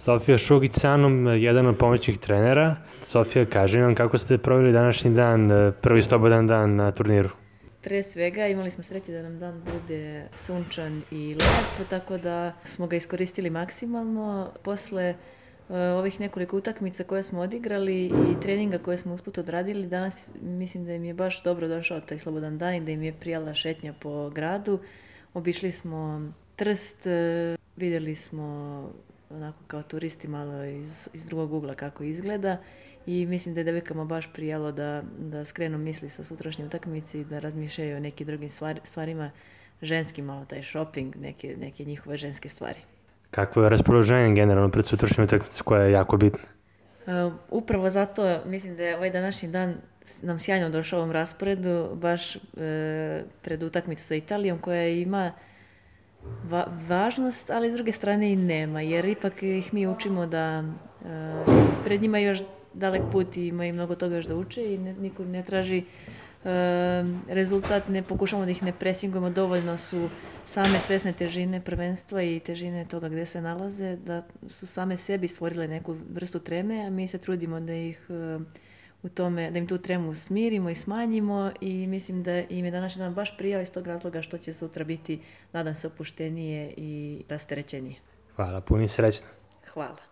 Sofija Šugić sa mnom, jedan od pomoćnih trenera. Sofija, kaži nam kako ste proveli današnji dan, prvi slobodan dan na turniru. Pre svega imali smo sreće da nam dan bude sunčan i lep, tako da smo ga iskoristili maksimalno. Posle ovih nekoliko utakmica koje smo odigrali i treninga koje smo usput odradili, danas mislim da im je baš dobro došao taj slobodan dan i da im je prijala šetnja po gradu. Obišli smo Trst, vidjeli smo onako kao turisti malo iz drugog ugla kako izgleda i mislim da je devojkama baš prijalo da skrenu misli sa sutrašnje utakmice i da razmišljaju o nekim drugim stvarima, ženskim, malo taj shopping, neke njihove ženske stvari. Kakvo je raspoloženje generalno pred sutrašnjom utakmicom koja je jako bitna? Upravo zato mislim da je ovaj današnji dan nam sjajno došao u ovom rasporedu, baš pred utakmicu sa Italijom koja ima važnost, ali s druge strane i nema, jer ipak ih mi učimo da pred njima još dalek put i ima i mnogo toga još da uče i niko ne traži rezultat, ne pokušamo da ih ne presingujemo, dovoljno su same svesne težine prvenstva i težine toga gde se nalaze, da su same sebi stvorile neku vrstu treme, a mi se trudimo da ih u tome, da im tu tremu smirimo i smanjimo i mislim da im je današnji dan baš prijao iz tog razloga što će sutra biti, nadam se, opuštenije i rasterećenije. Hvala, puno i srećno. Hvala.